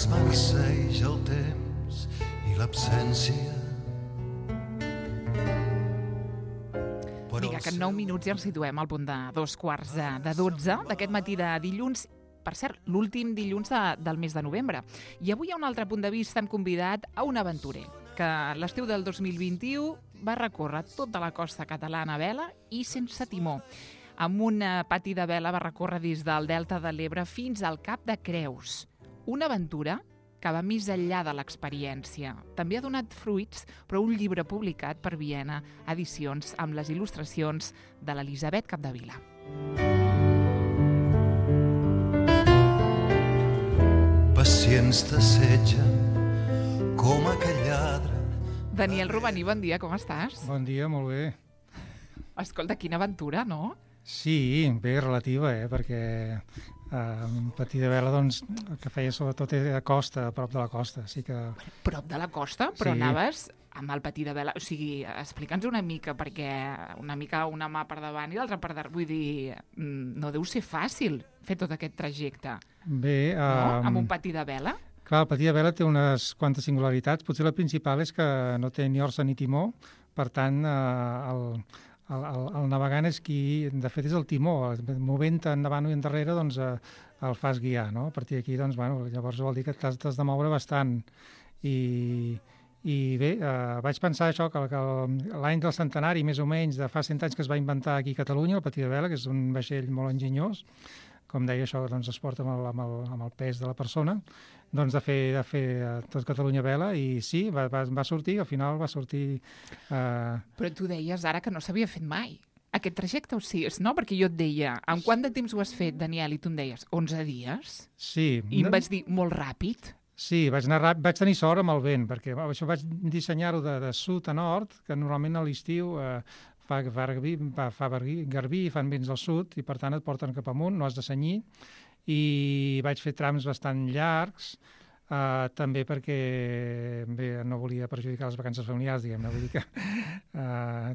es marceja el temps i l'absència. Vinga, que en 9 minuts ja ens situem al punt de 2:15 d'aquest matí de dilluns. Per cert, l'últim dilluns del mes de novembre. I avui, a un altre punt de vista, hem convidat a un aventurer que l'estiu del 2021 va recórrer tota la costa catalana a vela i sense timó. Amb un pati de vela va recórrer des del Delta de l'Ebre fins al Cap de Creus. Una aventura que va més enllà de l'experiència. També ha donat fruits, però un llibre publicat per Viena Edicions amb les il·lustracions de l'Elisabet Capdevila. Pacients t'assetgen com aquell lladre. Daniel Romaní, bon dia, com estàs? Bon dia, molt bé. Escolta, quina aventura, no? Sí, bé, relativa, perquè patí de vela, doncs, el que feia sobretot era a costa, a prop de la costa. Sí que... Prop de la costa? Però sí. Anaves amb el patí de vela. O sigui, explica'ns una mica, perquè una mica una mà per davant i l'altra per darrere. Vull dir, no deu ser fàcil fer tot aquest trajecte. Bé... No? Amb un patí de vela? Clar, el patí de vela té unes quantes singularitats. Potser la principal és que no té ni orsa ni timó. Per tant, el navegant és qui, de fet, és el timó. Movent endavant i endarrere, doncs, el fas guiar, no? A partir d'aquí, doncs, bueno, llavors vol dir que t'has de moure bastant. I bé, vaig pensar això, que l'any del centenari, més o menys, de fa 100 anys que es va inventar aquí a Catalunya, el patí de vela, que és un vaixell molt enginyós, com deia això, doncs es porta amb el pes de la persona, doncs de fer tot Catalunya vela, i sí, va sortir, al final va sortir... Però tu deies ara que no s'havia fet mai. Aquest trajecte, o sigui, no? Perquè jo et deia, en quant de temps ho has fet, Daniel? I tu em deies, 11 dies? Sí. I em vaig dir, molt ràpid? Sí, vaig tenir sort amb el vent, perquè això vaig dissenyar-ho de sud a nord, que normalment a l'estiu fa garbí, fan vents al sud, i per tant et porten cap amunt, no has de senyir, i vaig fer trams bastant llargs, també perquè bé, no volia perjudicar les vacances familiars, diguem-ne, vull dir que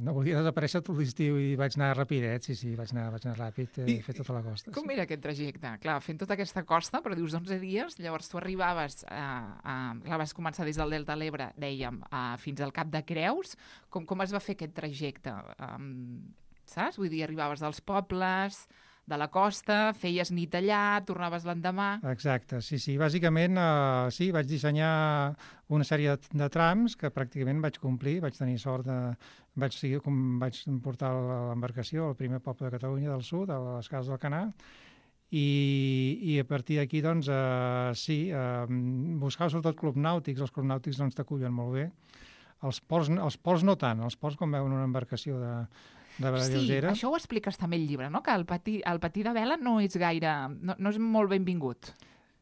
no volia desaparèixer tot l'estiu i vaig anar rapidet, sí, vaig anar ràpid i fer tota la costa. Com era aquest trajecte? Clar, fent tota aquesta costa, però dius 11 dies, llavors tu arribaves, vas començar des del Delta de l'Ebre, dèiem, fins al Cap de Creus. Com es va fer aquest trajecte? Saps? Vull dir, arribaves dels pobles, de la costa, feies nit allà, tornaves l'endemà... Exacte, sí. Bàsicament, sí, vaig dissenyar una sèrie de trams que pràcticament vaig complir, vaig tenir sort vaig portar l'embarcació al primer poble de Catalunya del sud, a les Cases d'Alcanar, i a partir d'aquí, doncs, sí, buscava sobretot clubs nàutics, els clubs nàutics doncs t'acullen molt bé. Els ports no tant, els ports quan veuen una embarcació de vela lleugera. Sí, això ho expliques també al llibre, no? Que el patí de vela no és gaire... no és molt benvingut.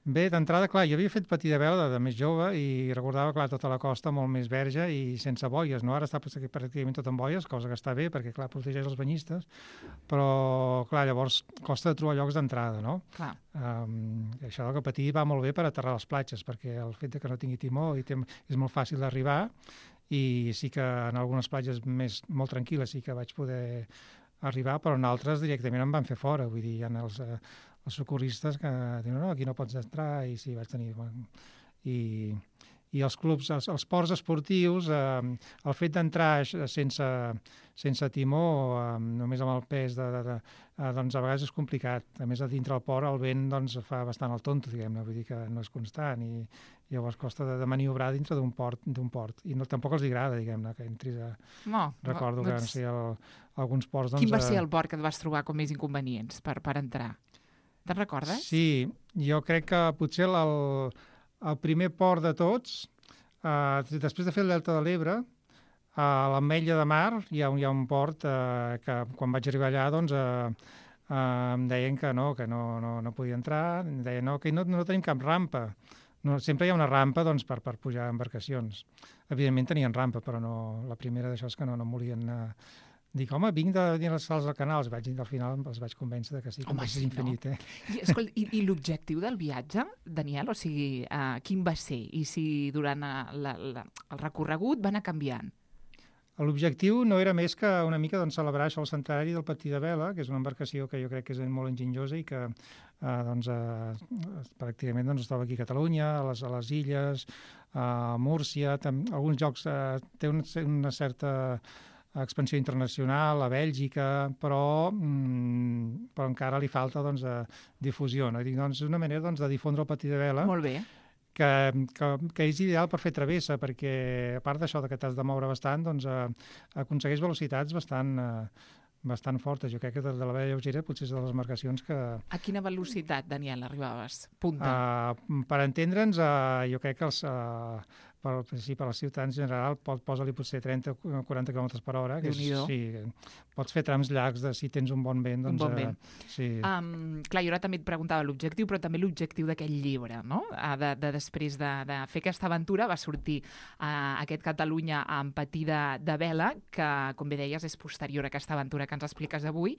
Bé, d'entrada, clar, jo havia fet patí de vela de més jove i recordava, clar, tota la costa molt més verge i sense boies, no? Ara està pràcticament tot amb boies, cosa que està bé, perquè, clar, protegeix els banyistes, però, clar, llavors costa de trobar llocs d'entrada, no? Clar. Això del patí va molt bé per aterrar a les platges, perquè el fet que no tingui timó és molt fàcil d'arribar, i sí que en algunes platges molt tranquil·les sí que vaig poder arribar, però en altres directament em van fer fora. Vull dir, hi ha els socorristes que diuen, no, aquí no pots entrar, i sí, vaig tenir... I els clubs, els ports esportius, el fet d'entrar sense timó, només amb el pes, doncs a vegades és complicat. A més, a dintre del port el vent doncs, fa bastant el tonto, diguem-ne, vull dir que no és constant i llavors costa de maniobrar dintre d'un port. I tampoc els agrada, diguem-ne, que entris a... No, recordo que no sé, alguns ports... Quin va ser el port que et vas trobar com més inconvenients per entrar? Te'n recordes? Sí, jo crec que potser el primer port de tots, després de fer el Delta de l'Ebre, a l'Ametlla de Mar hi ha un port que quan vaig arribar allà doncs, em deien que no podia entrar, em deien que no tenim cap rampa. No, sempre hi ha una rampa doncs, per pujar a embarcacions. Evidentment tenien rampa, però no, la primera d'això és que no em volien... Dic, home, vinc de dir les sals del canal, al final els vaig convèncer que sí, que és infinit. I l'objectiu del viatge, Daniel, o sigui, quin va ser? I si durant el recorregut va anar canviant? L'objectiu no era més que una mica celebrar això, el centenari del patí de vela, que és una embarcació que jo crec que és molt enginyosa i que pràcticament es troba aquí a Catalunya, a les illes, a Múrcia, alguns llocs té una certa expansió internacional, a Bèlgica, però encara li falta difusió. No? És una manera de difondre el patí de vela. Molt bé. Que és ideal per fer travessa, perquè a part d'això que t'has de moure bastant, aconsegueix velocitats bastant fortes. Jo crec que de la vela lleugera potser és de les embarcacions que... A quina velocitat, Daniel, arribaves? Punta. Per entendre'ns, jo crec que per als ciutadans en general posa-li potser 30 o 40 km per hora. Sí, pots fer trams llargs si tens un bon vent. Un bon vent. Sí. Clar, jo ara també et preguntava l'objectiu, però també l'objectiu d'aquest llibre, no? Després de fer aquesta aventura va sortir aquest Catalunya amb patí de vela, que, com bé deies, és posterior a aquesta aventura que ens expliques avui,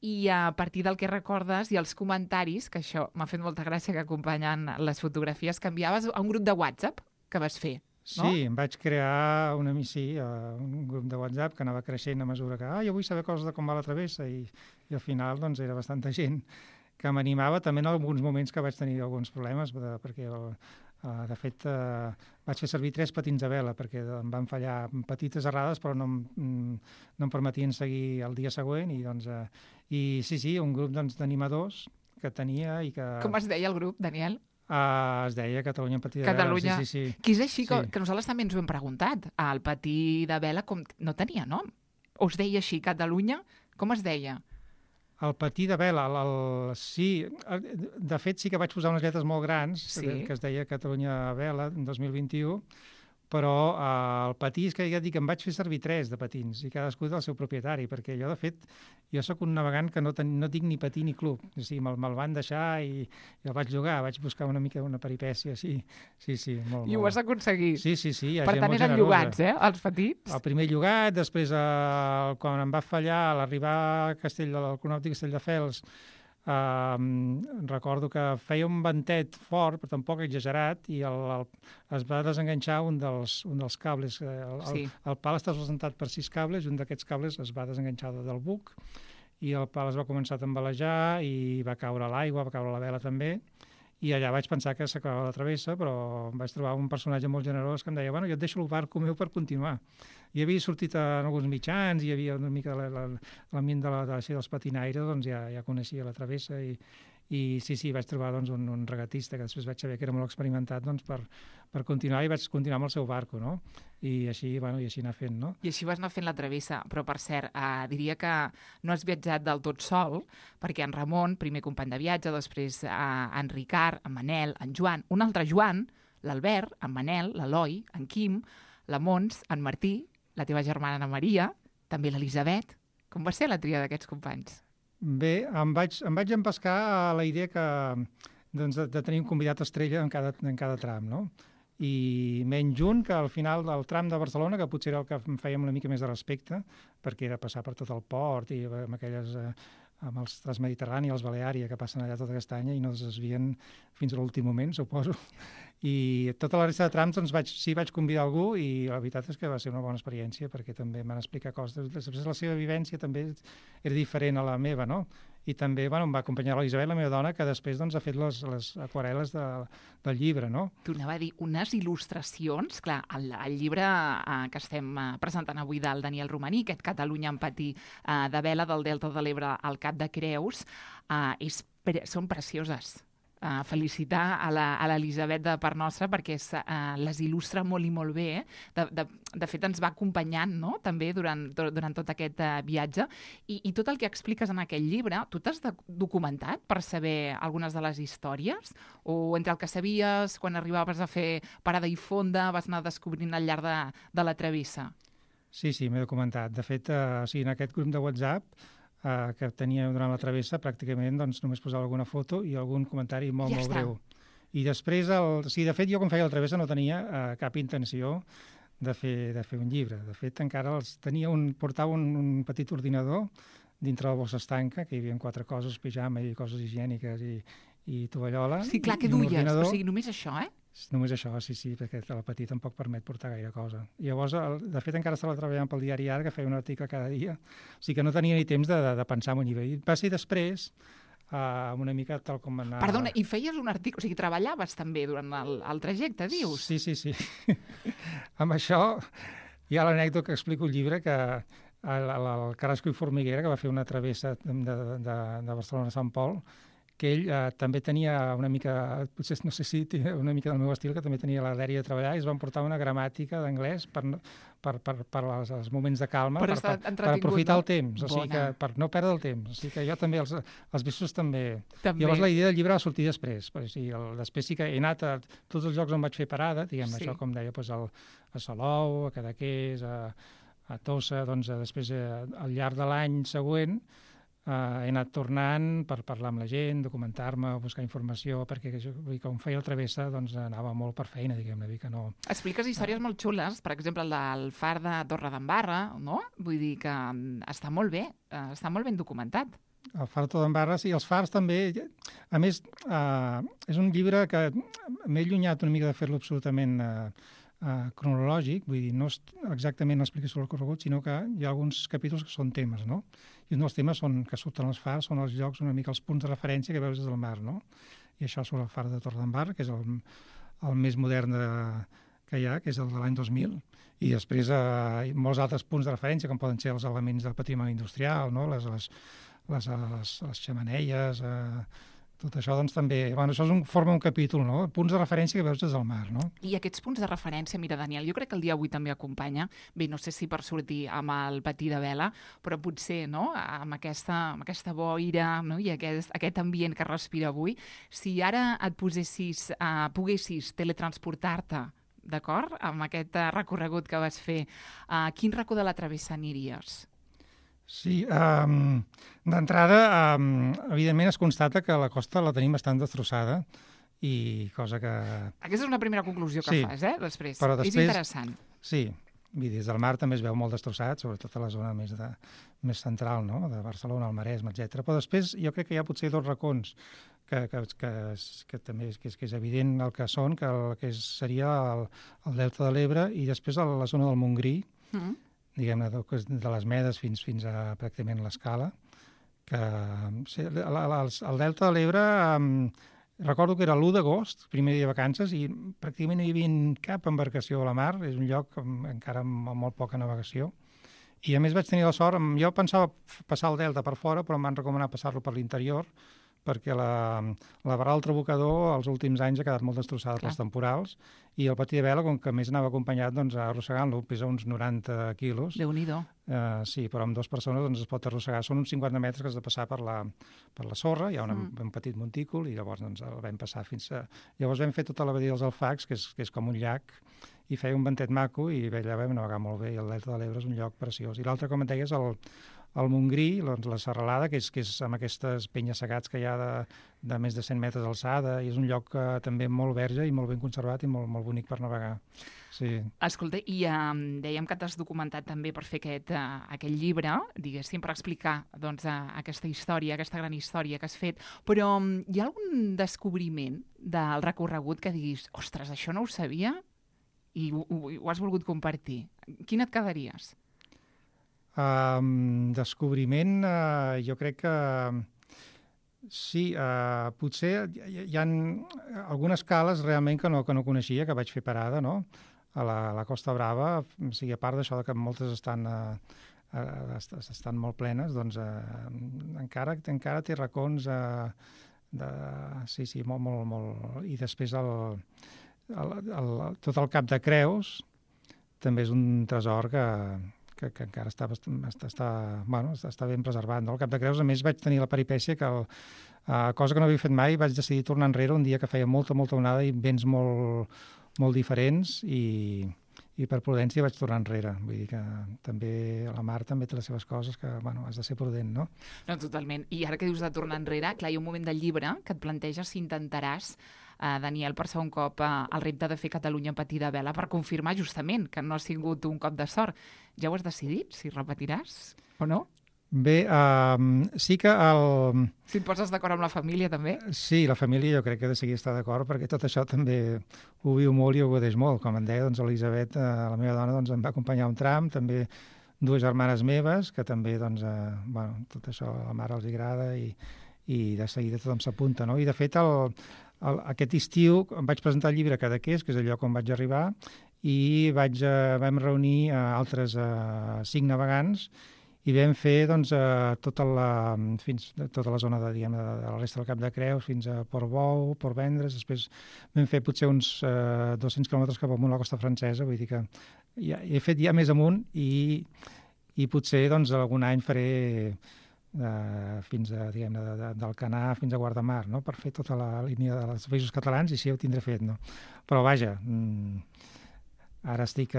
i a partir del que recordes i els comentaris, que això m'ha fet molta gràcia que acompanyen les fotografies, que enviaves a un grup de WhatsApp que vas fer. No? Sí, em vaig crear un grup de WhatsApp que anava creixent a mesura que jo vull saber coses de com va la travessa i al final era bastanta gent que m'animava també en alguns moments que vaig tenir alguns problemes perquè de fet vaig fer servir 3 patins de vela perquè em van fallar petites errades però no em permetien seguir el dia següent i sí, un grup d'animadors que tenia i que... Com es deia el grup, Daniel? Es deia Catalunya en patí de Catalunya. Vela. Sí. Que és així que nosaltres també ens ho hem preguntat. El patí de vela no tenia nom. O es deia així, Catalunya? Com es deia? El patí de vela, sí. De fet, sí que vaig posar unes lletres molt grans que es deia Catalunya Vela en 2021, però el patí és que ja dic, em vaig fer servir 3 de patins i cadascú del seu propietari, perquè jo, de fet, soc un navegant que no tinc ni patí ni club. O sigui, me'l van deixar i el vaig llogar, vaig buscar una mica una peripècia, sí, molt. I ho vas aconseguir. Sí. Per tant, eren llogats, els patins? El primer llogat, després, quan em va fallar, a l'arribar al Conòptic Castelldefels, recordo que feia un ventet fort, però tampoc exagerat, i es va desenganxar un dels cables. El pal està sustentat per 6 cables, i un d'aquests cables es va desenganxar del buc, i el pal es va començar a tambalejar, i va caure a l'aigua, va caure a la vela també, i allà vaig pensar que s'acabava la travessa, però em vaig trobar un personatge molt generós que em deia, jo et deixo el barco meu per continuar. I havia sortit en alguns mitjans, hi havia una mica l'ambient dels patinaires, ja coneixia la travessa i sí, vaig trobar un regatista que després vaig saber que era molt experimentat per continuar i vaig continuar amb el seu barco, no? I així anar fent, no? I així vas anar fent la travessa, però per cert, diria que no has viatjat del tot sol, perquè en Ramon, primer company de viatge, després en Ricard, en Manel, en Joan, un altre Joan, l'Albert, en Manel, l'Eloi, en Quim, la Mons, en Martí, la teva germana Ana Maria, també l'Elisabet. Com va ser la tria d'aquests companys? Bé, em vaig empescar a la idea de tenir un convidat estrella en cada tram, no? I menys un que al final del tram de Barcelona, que potser era el que em feia una mica més de respecte, perquè era passar per tot el port i amb els Transmediterrani, els Baleària, que passen allà tot aquest any i no es desvien fins a l'últim moment, suposo. I tota la resta de trams vaig convidar algú i la veritat és que va ser una bona experiència perquè també em van explicar coses. Després la seva vivència també era diferent a la meva, no? I també em va acompanyar l'Elisabet, la meva dona, que després ha fet les aquarel·les del llibre, no? Tornava a dir, unes il·lustracions, clar, el llibre que estem presentant avui del Daniel Romaní, aquest Catalunya en patí de vela del Delta de l'Ebre al Cap de Creus, són precioses. Felicitar a l'Elisabet de part nostra perquè les il·lustra molt i molt bé. De fet, ens va acompanyant, no?, també durant tot aquest viatge. I tot el que expliques en aquell llibre, tu t'has documentat per saber algunes de les històries? O entre el que sabies, quan arribaves a fer parada i fonda, vas anar descobrint al llarg de la travessa? Sí, m'he documentat. De fet, en aquest grup de WhatsApp que tenia durant la travessa, pràcticament només posava alguna foto i algun comentari molt breu. I després, de fet, jo quan feia la travessa no tenia cap intenció de fer un llibre. De fet, encara portava un petit ordinador dintre la bossa estanca, que hi havia 4 coses, pijama i coses higièniques i tovallola. Sí, clar, que duies, o sigui, només això, Només això, sí, perquè telepatia tampoc permet portar gaire cosa. I llavors, de fet, encara estava treballant pel diari Ara, que feia un article cada dia, o sigui que no tenia ni temps de pensar en un llibre. I va ser després, una mica tal com anava... Perdona, i feies un article, o sigui, treballaves també durant el trajecte, dius? Sí. Amb això hi ha l'anècdota que explico el llibre, que el Carrasco i Formiguera, que va fer una travessa de Barcelona a Sant Pol, que ell també tenia una mica, potser no sé si una mica del meu estil, que també tenia la dèria de treballar, i es van portar una gramàtica d'anglès per als moments de calma, per aprofitar el temps, o sigui que per no perdre el temps. O sigui que jo també, els vistos també. Llavors la idea del llibre va sortir després. O sigui, després sí que he anat a tots els llocs on vaig fer parada, diguem això, com deia, a Salou, a Cadaqués, a Tossa, doncs després al llarg de l'any següent he anat tornant per parlar amb la gent, documentar-me, buscar informació, perquè com feia la travessa doncs anava molt per feina, diguem-ne, que no... Expliques històries molt xules, per exemple, el del far de Torredembarra, no? Vull dir que està molt bé, està molt ben documentat. El far de Torredembarra, sí, els fars també... A més, és un llibre que m'he allunyat una mica de fer-lo absolutament cronològic, vull dir, no exactament l'explicació del corregut, sinó que hi ha alguns capítols que són temes, no? I un dels temes que surten als fars són els llocs, una mica els punts de referència que veus des del mar, no? I això sobre el far de Torredembarra, que és el més modern que hi ha, que és el de l'any 2000, i després molts altres punts de referència, com poden ser els elements del patrimoni industrial, no? Les xemeneies, tot això, doncs, també... Bueno, això forma un capítol, no? Punts de referència que veus des del mar, no? I aquests punts de referència, mira, Daniel, jo crec que el dia avui també acompanya, bé, no sé si per sortir amb el patí de vela, però potser, no?, amb aquesta boira, no?, i aquest ambient que respira avui, si ara et poguessis teletransportar-te, d'acord?, amb aquest recorregut que vas fer, a quin racó de la travessa aniries? Sí, d'entrada, evidentment es constata que la costa la tenim bastant destrossada, i cosa que... Aquesta és una primera conclusió que fas, després. Però després. És interessant. Sí, des del mar també es veu molt destrossat, sobretot a la zona més central, no?, de Barcelona, el Maresme, etc. Però després jo crec que hi ha potser dos racons que també és evident el que són, que seria el Delta de l'Ebre i després la zona del Montgrí, diguem-ne, de les Medes fins a pràcticament l'Escala, que el Delta de l'Ebre recordo que era l'1 d'agost, primer dia de vacances, i pràcticament no hi havia cap embarcació a la mar, és un lloc encara amb molt poca navegació, i a més vaig tenir la sort, jo pensava passar el Delta per fora, però em van recomanar passar-lo per l'interior, perquè la Barra del Trabucador els últims anys ha quedat molt destrossada pels temporals, i el patí de vela, com que més anava acompanyat, doncs arrossegant-lo, pesa uns 90 quilos. Déu-n'hi-do. Sí, però amb dues persones doncs, es pot arrossegar. Són uns 50 metres que has de passar per la sorra, hi ha un petit montícul, i llavors doncs, el vam passar fins a... Llavors vam fer tota la badia dels Alfacs, que és com un llac, i feia un ventet maco, i allà vam navegar molt bé, i el Delta de l'Ebre és un lloc preciós. I l'altre, com et deies, el Montgrí, doncs, la serralada, que és amb aquestes penyes-segats que hi ha de més de 100 metres d'alçada, i és un lloc també molt verge i molt ben conservat i molt, molt bonic per navegar. Sí. Escolta, i dèiem que t'has documentat també per fer aquest llibre, diguéssim, per explicar doncs, aquesta història, aquesta gran història que has fet, però hi ha algun descobriment del recorregut que diguis, ostres, això no ho sabia i ho has volgut compartir? Quin et quedaries? Descobriment, jo crec que sí, potser hi ha algunes cales realment que no coneixia, que vaig fer parada, no?, a la Costa Brava, o sigui, a part d'això que moltes estan molt plenes, doncs encara té racons sí, molt... I després tot el Cap de Creus també és un tresor que encara està ben preservat. No? El Cap de Creus, a més, vaig tenir la peripècia que, cosa que no havia fet mai, vaig decidir tornar enrere un dia que feia molta onada i vents molt diferents, i per prudència vaig tornar enrere. Vull dir que també la mar també té les seves coses que, has de ser prudent, no? No, totalment. I ara que dius de tornar enrere, clar, hi ha un moment del llibre que et planteges si intentaràs, Daniel, per segon cop el repte de fer Catalunya en patí de vela per confirmar justament que no ha sigut un cop de sort. Ja ho has decidit, si repetiràs o no? Bé, sí que Si et poses d'acord amb la família, també? Sí, la família jo crec que de seguir està d'acord, perquè tot això també ho viu molt i ho godeix molt. Com em deia, doncs, Elisabet, la meva dona, doncs, em va acompanyar un tram, també 2 germanes meves, que també, doncs, tot això a la mare els agrada i de seguida tothom s'apunta, no? I, de fet, aquest estiu em vaig presentar el llibre a Cadaqués, que és el lloc on vaig arribar, i vam reunir altres 5 navegants i vam fer doncs, tota la zona de la resta del Cap de Creus fins a Portbou, Portvendres, després vam fer potser uns 200 quilòmetres cap amunt a la costa francesa, vull dir que he fet ja més amunt i potser doncs, algun any faré fins a, d'Alcanar fins a Guardamar, no? Per fer tota la línia dels països catalans i sí, ho tindré fet, no? Però vaja, ara estem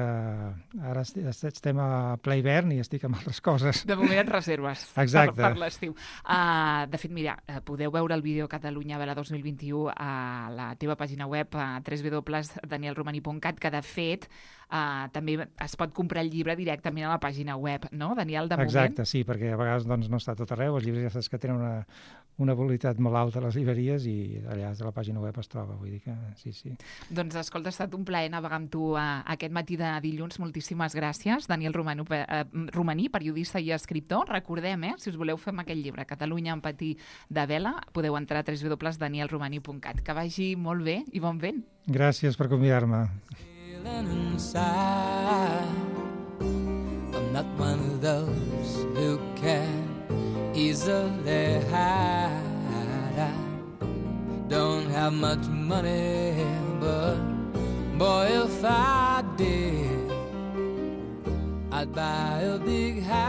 a ple hivern i estic amb altres coses. De moment et reserves per l'estiu. De fet, mira, podeu veure el vídeo Catalunya Vela 2021 a la teva pàgina web a www.danielromani.cat, que de fet també es pot comprar el llibre directament a la pàgina web, no, Daniel, de moment? Exacte, sí, perquè a vegades doncs, no està tot arreu. Els llibres ja saps que tenen una qualitat molt alta a les llibreries i allà a la pàgina web es troba, vull dir que sí. Doncs escolta, ha estat un plaer navegar amb tu aquest matí de dilluns. Moltíssimes gràcies, Daniel Romaní, periodista i escriptor. Recordem, si us voleu fer amb aquest llibre, Catalunya en patí de vela, podeu entrar a www.danielromani.cat. Que vagi molt bé i bon vent. Gràcies per convidar-me. I'm not one of those who can easily hide. I don't have much money, but boy, if I did, I'd buy a big house.